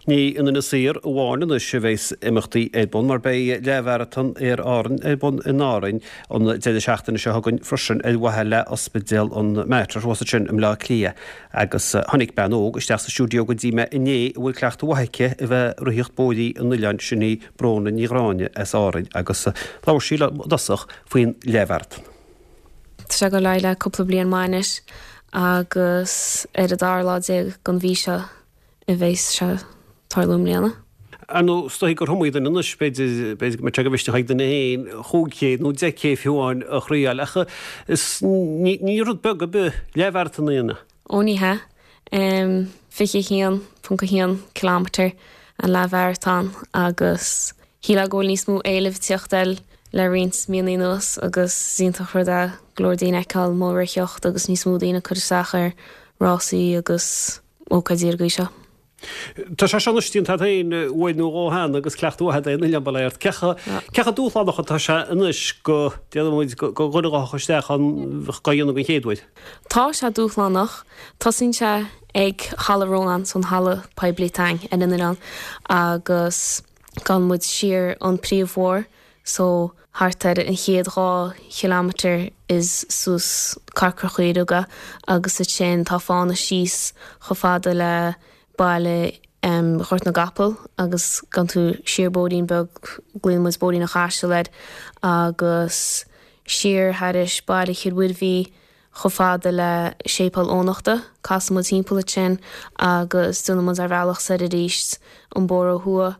Ní in Inis Oírr amháin anois a bheas imeachtaí ar bun mar beidh leathmharatón Aer Árann ar bun in Árainn an deireadh seachtaine seo chugainn freisin ar mhaithe le Ospidéal an Mater thuas ansin i mBleá Cliath. Agus tháinig bean óg isteach sa stiúideo go dtí mé inné a bhfuil cleachtadh mhaith aici a bheith ag ritheacht bóithrí an oileáin, sin í Bróna Ní Ghráinne as Árainn agus labhair sí liom i dtosach faoin leathmharatón. Tá sé ag dul ar aghaidh le cúpla bliain maith anois agus ar an dara lá den mhí seo a bheas sé ag tarlú i mbliana. Ar ndóigh, is dóigh gur iomaí duine anois, b'fhéidir, b'fhéidir go mbeadh sé de mhisneach ag duine féin 5K nó 10K fiú amháin a thriáil, ach is, ní, ní rud beag ar bith leathmharatón a dhéanamh. Ó ní hea. 21.1 kilometre an leathmharatón agus shílfeá go bhfuil níos mó éilimh ag tíocht air le roinnt míonna anuas agus is iontach rud é go leor daoine a fheiceáil amuigh ag ritheacht agus níos mó daoine ag cur isteach ar rásaí agus ócáidí ar an gcaoi seo. Tá sé seo anois déanta agat féin uair nó dhó cheana agus cleachtadh mhaith agat ar an oileán, bail ó Dhia ort. Cé chomh dúshlánach atá sé anois go, déarfaidh muid, go dhuine a ghabhfadh isteach ann dhá dhéanamh den chéad uair? Tá sé dúshlánach. Tosaíonn sé ag Halla Rónán, so an halla poiblí atá againn ar an oileán, agus gabhann muid siar an príomhbhóthar so thart ar an chéad 2 chileamatar is suas Corcra Chaoireog é agus ansin tá fána síos chomh fada le baile Ghort na gCapall agus gabhann tú siar bóithrín beag, glaonn muid Bóithrín an Chaisil air, agus siar thairis baile Chill Mhuirbhigh chomh fada le Séipéal Eoghanachta. Casann muid timpeall ansin agus déanann muid ár bhealach soir arís an bóthar ó thuaidh.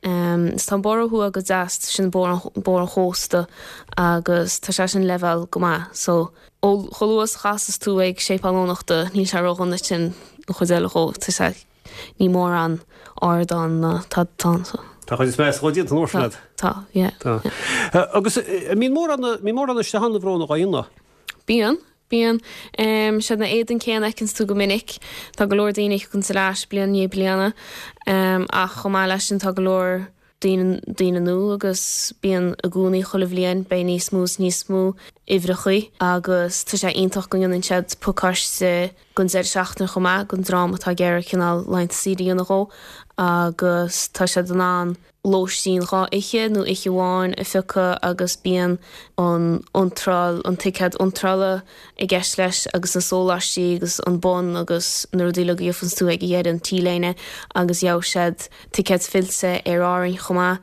Is tá an bóthar ó thuaidh go deas, sin bóthar an chósta agus tá sé sin leibhéal go maith. So ó chomh luath is a chasas tú ag Séipéal Eoghanachta níl sé ródhona ansin an chuid eile dhó, tá sé, ní mórán ardán ná tada atá ann so. Tá an chuid is measa dhó déanta an uair sin agat. Tá, yeah. Tá. Agus an mbíonn mórán, mbíonn mórán isteach ann a Bhróna dhá dhéanamh? Bíonn. Bíonn. Siad na éadain céanna a fheiceanns tú go minic. Tá go leor daoine a thiocfanns ar ais bliain i ndiaidh bliana. Ach chomh maith leis sin tá go leor daoine, daoine nua agus bíonn i gcónaí chuile bhliain beidh níos mó is níos mó uimhreachaí agus tá sé iontach go ndéanann siad pacáiste don deireadh seachtaine chomh maith don dream atá ag iarraidh cineál laethanta saoire a dhéanamh dhó agus tá siad in ann lóistín 2 oíche nó oíche amháin a phiocadh agus bíonn an iontráil, an ticéad iontrála i gceist leis agus na sóláistí agus an bonn agus na rudaí uilig a gheobhanns tú ag a dheireadh, an T-léine agus gheobhaidh siad ticéad fillte Aer Árainn chomh maith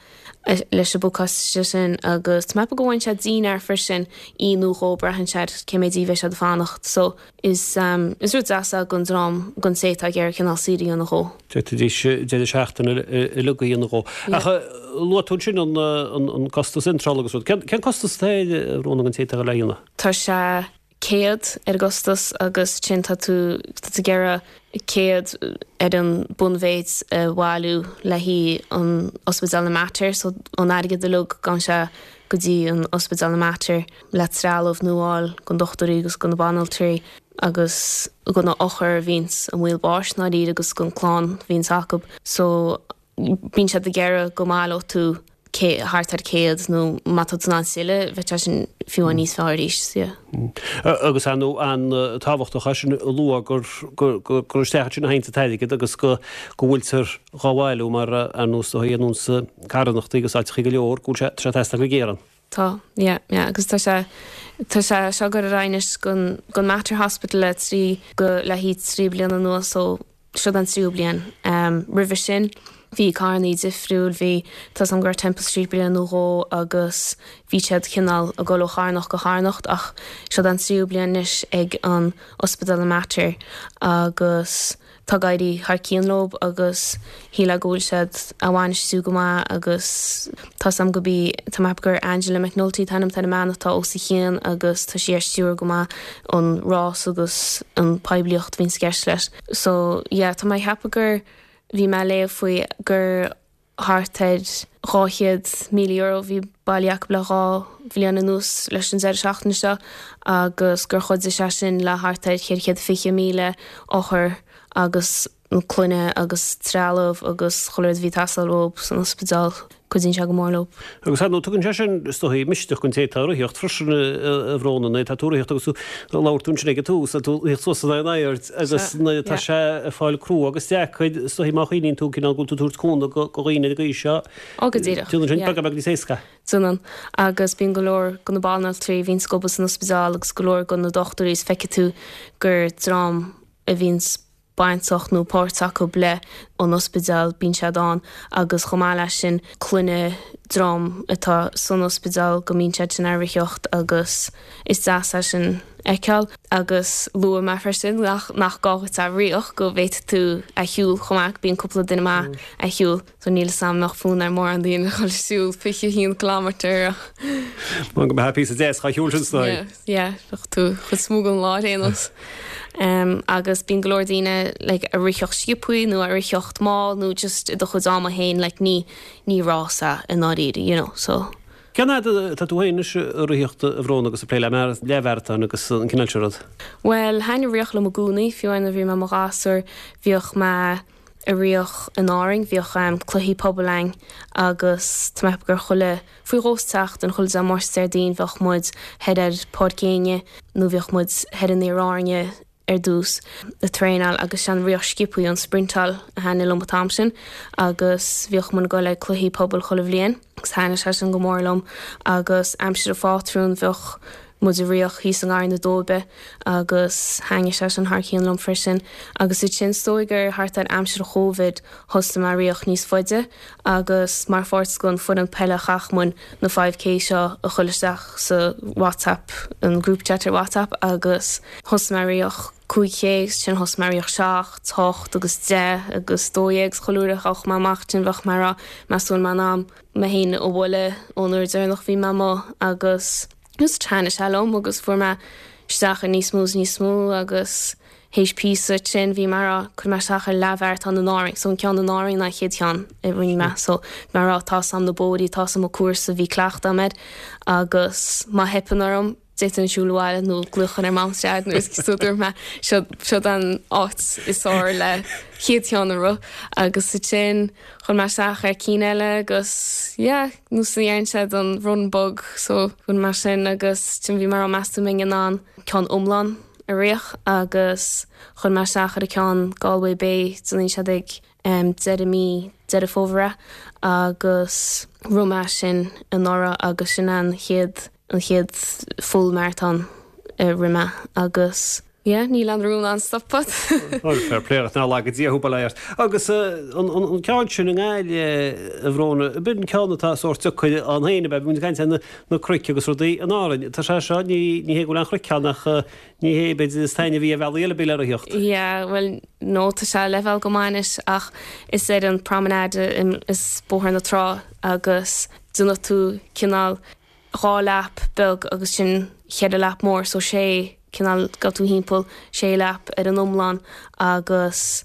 leis an bpacáiste sin agus tá mé ag ceapadh go bhfaigheann siad dinnéar freisin, oíche nó dhó, braitheann sé ar cé méid oíche a bheidh siad ag fanacht so is is rud deas é don dream, don té atá ag iarraidh cineál saoire a dhéanamh dhó. D'fhéadfaidís deireadh seachtaine uilig a dhéanamh dhó. Ach luaigh tú ansin an costas iontrála agus rud. Cén costas atá air, a Bhróna, don té atá ag dul á dhéanamh? Tá sé 100 ar an gcostas agus ansin tá tú tá tú ag iarraidh 100 ar an bunmhéid a bhailiú le haghaidh an Ospidéal na Mater so an airgead uilig gabhann sé go dtí an Ospidéal na Mater le trealamh nua a fháil don dochtúirí agus do na banaltraí agus do na othair a bhíonns i mbaol báis i ndáiríre agus don clann a bhíonns acub so bíonn siad ag iarraidh go mbaileodh tú thart ar 100 nó má tá tú in ann tuilleadh bheadh sé sin fiú amháin níos fearr arís so yeah. Agus ar ndóigh an-tábhachtach é sin a lua gur gur isteach ansin a théann an t-airgead agus go go bhfuiltear dhá bhailiú mar ar nós do dhéanann carthanachtaí agus áiteachaí go leor go bhfuil sé tá sé ag teastáil go géar ann. Tá, yeah, yeah, agus tá sé, tá sé seo ag dul ar aghaidh anois don, don Mater Hospital le trí, go, le haghaidh 3 bliana anuas so seo an tríú bliain. Em, roimhe sin bhí carrannaí difriúil, bhí, tá 's a'm go raibh Temple Street bliain nó dhó agus bhí siad cineál ag dul ó charthanacht go carthanacht ach seo an tríú bliain anois ag an Ospidéal an Mater agus, Tá ag éirí thar cionn leo agus shílfeá go bhfuil siad á bhainistiú go maith agus tá 's a'm go bí, tá mé ag ceapadh gur Angela McNulty an t-ainm atá ar an mbean atá os a chionn agus tá sí á stiúradh go maith an rás agus an poiblíocht a bhíonns i gceist leis. So yeah tá mé ag ceapadh gur, bhí mé ag léamh faoi gur thart ar €200,000 a bhí bailithe acu le 2 bhliain anuas leis an deireadh seachtaine seo agus gur chuidigh sé sin le thart ar 420,000 othar agus. na clainne agus trealamh agus chuile rud a bhí ag teastáil uathu san ospidéal, cuidíonn sé go mór leo. Agus ar ndóigh tugann sé sin, is dóigh, misneach don té atá ag ritheacht freisin, a Bhróna, nuair atá tú ag ritheacht agus tú, labhair tú ansin ag an tús, tú ag ritheacht suas in airde agus nuair atá sé ag fáil crua agus deacair, is dóigh má chuimhníonn tú cineál go bhfuil tú ag tabhairt cúnamh do dhaoine ar an gcaoi seo, Ó go díreach, déanann sin beagán beag níos éasca. Déanann. Agus bíonn go leor de na banaltraí a bhíonns ag obair san ospidéal agus go leor de na dochtúirí is feicfidh tú gur dream a bhíonns bainteach nó páirt acu le an ospidéal, bíonn siad ann agus chomh maith leis sin clainne dream atá san ospidéal go mbíonn siad sin ag ritheacht agus is deas é sin a fheiceáil. Agus luaigh mé freisin nach nach gá dhuit a ritheacht go bhféadfaidh tú a shiúl chomh maith, bíonn cúpla duine maith ag siúl. So níl 'fhios a'm an mbeadh fonn ar mórán daoine a dhul ag siúl 21 kilometre ach. Mar go mbeadh píosa deas dhá shiúl sin sna. Yeah, yeah, bheadh tú chuid is mó den lá ar aon nós. Um, agus bíonn go leor daoine like, a ritheacht sciobthaí nó a ritheacht mall nó just i do chuid ama féin like, ní, ní rás é i ndáiríre, you know, so. Cén fhad atá tú féin anois ag ritheacht a Bhróna agus ag plé le leathmharatón agus an cineál seo rud? Bhuel, thaitnigh ritheacht liom i gcónaí, fiú amháin nuair a bhí mé i mo ghasúr, bhíodh mé ag ritheacht in Árainn, bhíodh cluichí pobail a'inn agus tá mé ag ceapadh gur chuile, faoi dhó sa tseachtain, chuile Dé Máirt is Déardaoin bheadh muid thoir ar Páirc Éinne nó bhíodh muid thoir in Iar Árainne ar dtús ag traenáil agus sé an ritheacht sciobthaí, an sprintáil a thaitnigh liom an t-am sin agus bhíodh muid ag dul ag cluichí pobail chuile bhliain agus thaitnigh sé sin go mór liom agus aimsir an phátrúin bheadh muid ag ritheacht thíos i nGarraí na Dóibe agus thaitnigh sé sin thar cionn liom freisin. Agus ansin is dóigh gur thart ar aimsir Chóivid thosaigh mé ag ritheacht níos faide agus mar pháirt den foireann peile chaith muid na 5K seo a chur isteach sa WhatsApp, an group chat ar WhatsApp agus thosaigh mé ag ritheacht 5K agus ansin thosaigh mé ag ritheacht 7, 8 agus 10 agus 12 agus chuile uair a ghabhadh mé amach ansin bheadh mé ag rá meas tú an bhfuil mé in ann mé féin a bhualadh ón uair deireanach bhí mé amuigh agus Just thaitnigh sé liom agus fuair mé isteach ar níos mó is níos mó agus théis píosa ansin bhí mé a rá cuirfidh mé isteach ar leathmharatón in Árainn so an ceann in Árainn ná an chéad cheann a rinne mé so bhí mé a rá tá 'fhios a'm na bóithrí tá 'fhios a'm an cúrsa bhí cleachtadh a'm air agus má theipeann orm d'fhéadfainn siúl abhaile nó glaoch ar mam is dad nó so dúirt mé seo seo an áit is fearr le chéad cheann a rith agus ansin chuir mé isteach ar cinn eile agus yeah nó sa deireann siad an run bug so rinne mé sin agus ansin bhí mé a rá meas tú an mbeinn in ann ceann iomlán a rith agus chuir mé isteach ar an ceann Galway Bay déanann siad ag um, deireadh mí Deireadh Fómhair é agus rith mé sin anuraidh agus sin an chéad an chéad full marathon a rith mé agus Yeah, níl aon rún a'm stopadh. Bhuel, fair play ort, nár laga Dia thú, bail ó Dhia ort. Agus an ceann sin i nGaillimh, a Bhróna, b'in an ceann atá sórt deacair ann féin, ab ea? Bhí muid ag caint ar na cnoic agus rudaí in Árainn. Tá sé seo, ní hé go bhfuil aon chnoic ann ach ní hé, b'fhéidir, is taitneamhaí ar bhealaí eile b'fhéidir le ritheacht. Yeah, bhuel, no, tá sé leibhéal go maith anois ach is ar an promenade is Bóthar na Trá agus déanfaidh tú cineál 2 lap beag agus sin cheithre lap mór so sé cineál gabhfaidh tú thimpeall sé lap ar an iomlán agus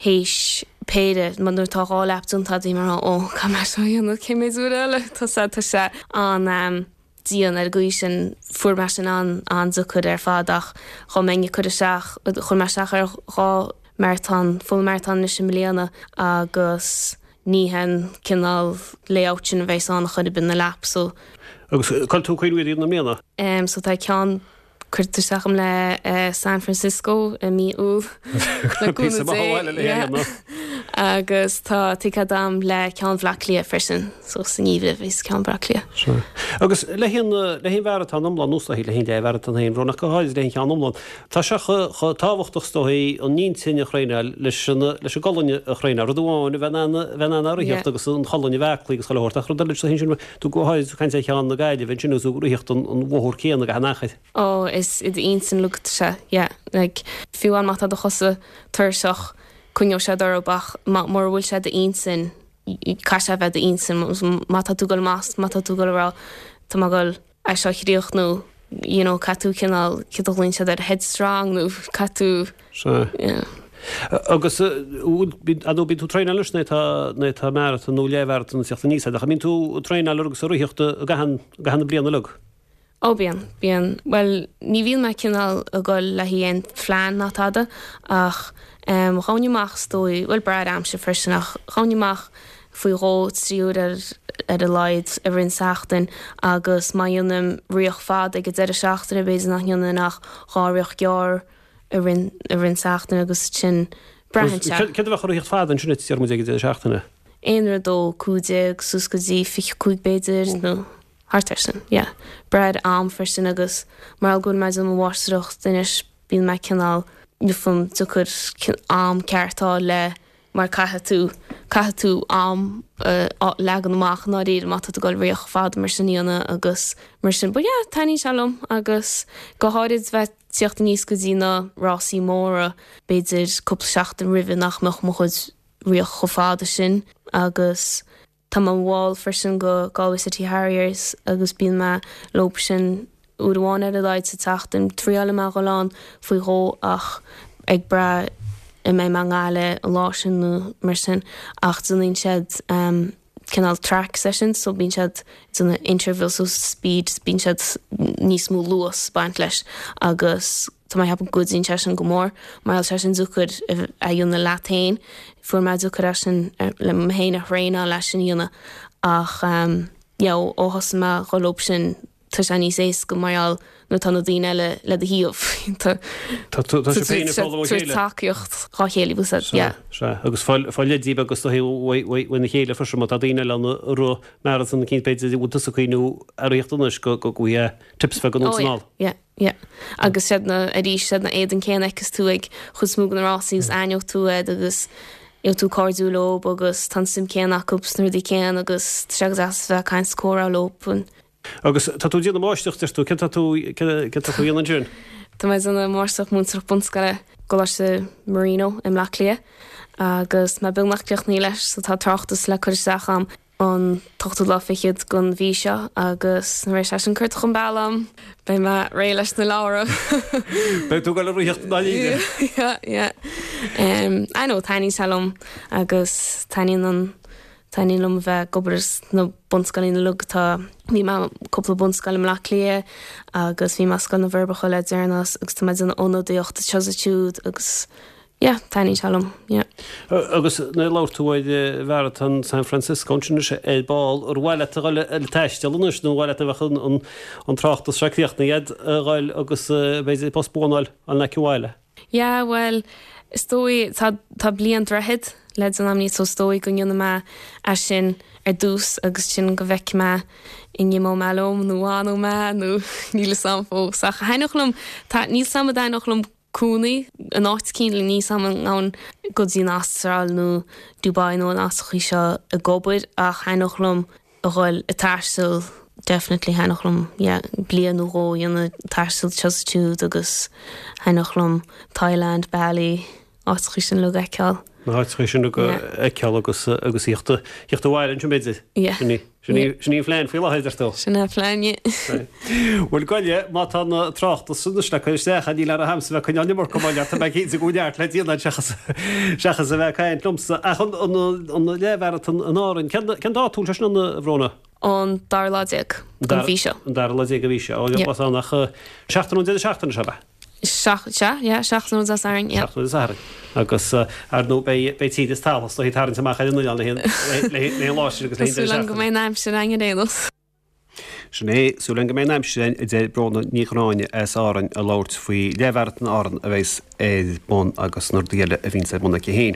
théis péire mar nuair atá 2 lap déanta agat bhí mé ag rá ó caithfidh mé seo a dhéanamh cé mhéad uair eile tá sé tá sé an dian ar an gcaoi sin fuair mé sin an an-deacair ar fad ach dá mbeinn ag cur isteach chuir mé isteach ar 2 marathon full marathon anois i mbliana agus Ní hé an cineál layout sin a bheas ann a chor ar bith na laps so. Agus cá bhfuil tú ag cuimhniú iad a dhéanamh i mbliana? Em so tá ceann curtha isteach agam le San Francisco i mí Iúil le cúnamh Dé yeah agus tá ticéad agam le ceann Bhaile Átha Cliath freisin so sa ngeimhreadh a bheas ceann Bhaile Átha Cliath. Sea. Agus le haghaidh an le haghaidh an mharatón iomlán nó is dóichí le haghaidh an leathmharatón féin Bhróna ach go háirid le haghaidh an cheann iomlán. Tá sé chomh tábhachtach is dóichí an intinn a thraenáil leis an leis an gcolainn a thraenáil. Rud amháin a bheith in ann a bheith in ann ritheacht agus an cholainn a bheith aclaí agus chuile shórt ach rud eile is dóichí ansin tú go háirid ag caint ar cheann na Gaillimhe ansin agus tú ag ritheacht an an bhóthar céanna gach aon achar. Ó is i d'intinn uilig atá sé yeah like fiú amháin má tá do chosa tuirseach coinneoidh siad orthu ach má mura bhfuil sé i d'intinn caithfidh sé a bheith i d'intinn má tá tú ag dul amach má tá tú ag dul a rá tá mé ag dul é seo a chríochnú you know caithfidh tú cineál céard a ghlaonn siad air headstrong nó caithfidh tú Sea. yeah. Agus ar ndóigh bíonn tú ag traenáil anois nuair atá nuair atá maratón nó leathmharatón ag teacht aníos ach an mbíonn tú ag traenáil agus ag ritheacht i gcaitheamh i gcaitheamh na bliana uilig? Ó bíonn, bíonn. Bhuel ní bhíonn mé cineál ag dul le haghaidh aon phlean ná tada ach. Ghabhainn amach is dóigh, bhuel brath ar aimsir freisin ach ghabhainn amach faoi dhó, 3 uair ar ar a laghad i rith an tseachtain agus má dhéanaim ritheacht fada ag an deireadh seachtaine b'fhéidir nach ndéanfainn ach 2 ritheacht gearr i rith i rith an tseachtain agus sin braitheann sé. Céard a bheadh i ritheacht fada ansin a deir muid ag an deireadh seachtaine? Aon rud ó 15 suas go dtí 25 b'fhéidir nó thart ar sin, yeah. Brath ar am freisin agus mar go bhfuil mé ag déanamh mo mháistreacht anois bíonn mé cineál níl deacair am ceart a fháil le mar caithfidh tú, caithfidh tú am a leagan amach i ndáiríre má tá tú ag dul ritheacht fada mar sin a dhéanamh agus mar sin. But yeah, taitníonn sé liom agus go háirid bheith tíocht aníos go dtí na rásaí móra, b'fhéidir cúpla seachtain roimhe nach mbeadh mo chuid ritheacht chomh fada sin agus Tá mé i mo bhall freisin go Galway City Harriers agus bíonn mé leo sin uair amháin ar a laghad sa tseachtain. Triáilfidh mé a dhul ann faoi dhó ach ag brath an mbeidh mé i nGaillimh an lá sin nó mar sin ach déanann siad cineál track sessions so bíonn siad ag déanamh intervals so speed bíonn siad níos mó luas ag baint leis agus Tá mé ag ceapadh go gcuidíonn sé sin go mór mar tá sé sin deacair a dhéanamh leat féin. Fuair mé deacair é sin le mé féin a thraenáil leis sin a dhéanamh ach yeah ó thosaigh mé a dhul leo sin tá sé níos éasca mar gheall nuair atá na daoine eile le do thaobh. Tá Tá sibh féin ag foghlaim ó chéile. Tacaíocht dhá chéile bhfuil fhios yeah. Sea, agus fáil leidí agus do thaobh uaina chéile freisin má tá daoine eile ann ag rith marathon eicínt b'fhéidir a bhfuil tusa ag cuimhniú ar ritheacht anois go go bhfaighidh tips bheaga anonn is anall. Oh yeah, yeah. Yeah. Agus siad na, arís, siad na éadain céanna a fheiceas tú ag chuid is mó de na rásaí agus aithneoidh tú iad agus gheobhaidh tú cairdiúil leo agus tá an suim céanna acu sna rudaí céanna agus tá sé go deas a bheith ag caint is comhrá leo. Agus tá tú ag déanamh máistreacht, deir tú, céard tá tú, céard tá tú a dhéanamh ansin? Tá mé ag déanamh máistreacht múinteoireacht bunscoile i gColáiste Marino i mBleá Cliath agus mé beagnach críochnaithe leis so tá tráchtas le cur isteach a'm. an t-ochtú lá fichead den mhí seo agus nuair a bheidh sé sin curtha chun bealaigh a'm, beidh mé réidh leis na leabhra. Beidh tú ag dul ag ritheacht i ndáiríre. Yeah, yeah. Um, I know, taitníonn sé liom agus taitníonn an, taitníonn liom a bheith ag obair sna bunscoileanna uilig atá, bhí mé cúpla bunscoil i mBleá Cliath agus bhí mé i Scoil na bhForbacha le deireanas agus tá mé ag déanamh ionadaíocht anseo is ansiúd agus Yeah, taitníonn sé liom, yeah. Agus nuair a labhair tú ar Mharatón San Francisco ansin anois ar ball, ar mhaith leat a dhul ag taisteal anois nó ar mhaith leat a bheadh an tráchtas seo críochnaithe agat a dhul agus b'fhéidir post buan a fháil in aice bhaile? Yeah, bhuel, is dóigh, tá, tá bliain droichead le déanamh a'm so is dóigh go ndéanfaidh mé é sin ar dtús agus sin go bhfeicfidh mé an n-imeoidh mé liom nó an bhfanfaidh mé nó níl fhios a'm fós ach thaitneodh liom, tá, níl 's a'm an dtaitneodh liom cónaí in áit eicínt, níl 's a'm an ngabhfainn go dtí an Astráil nó Dubai nó na háiteachaí seo ag obair ach thaitneodh liom a dhul ag taisteal definitely thaitneodh liom yeah bliain nó dhó a dhéanamh ag taisteal anseo is ansiúd agus thaitneodh liom Thailand, Bali, áiteachaí sin uilig a fheiceáil. Na háiteachaí sin uilig a fheiceáil agus agus thíocht thíocht abhaile ansin b'fhéidir. Yeah. Sin í. Sin í, sin í an phlean faoi láthair, deir tú. Sin é an phlean, yeah. Bhuel, gabh i leith, má tá na tráchtas sin anois le cur isteach, níl ar a hamsa bheith ag coinneáil an iomarca moille ort, tá mé cinnte go bhfuil neart le déanamh seachas, seachas a bheith ag caint liomsa. Ach an, an, an leathmharatón in Árainn, cén, cén dáta a bhfuil sé sin ann, a Bhróna? An dara lá déag den mhí seo. An dara lá déag den mhí seo. Ó, yeah. Blas ann ach seachtain ón deireadh seachtaine seo, ab ea? Sea, yeah, seachtain ón Dé Sathairn, yeah. Seachtain ón Dé Sathairn. Agus, ar ndóigh, beidh, beidh tír is talamh is dóichí ag tarraingt amach ar an oileán le haghaidh an lá sin agus le haghaidh an deireadh seachtaine. Súil agam go mbeidh an aimsir againn ar aon nós. Sin é, súil agam go mbeidh an aimsir againn, a deir Bróna Ní Ghráinne as Árainn ag labhairt faoi leathmharatón Árann a bheas ar bun agus na rudaí eile a bhíonns ar bun aici féin.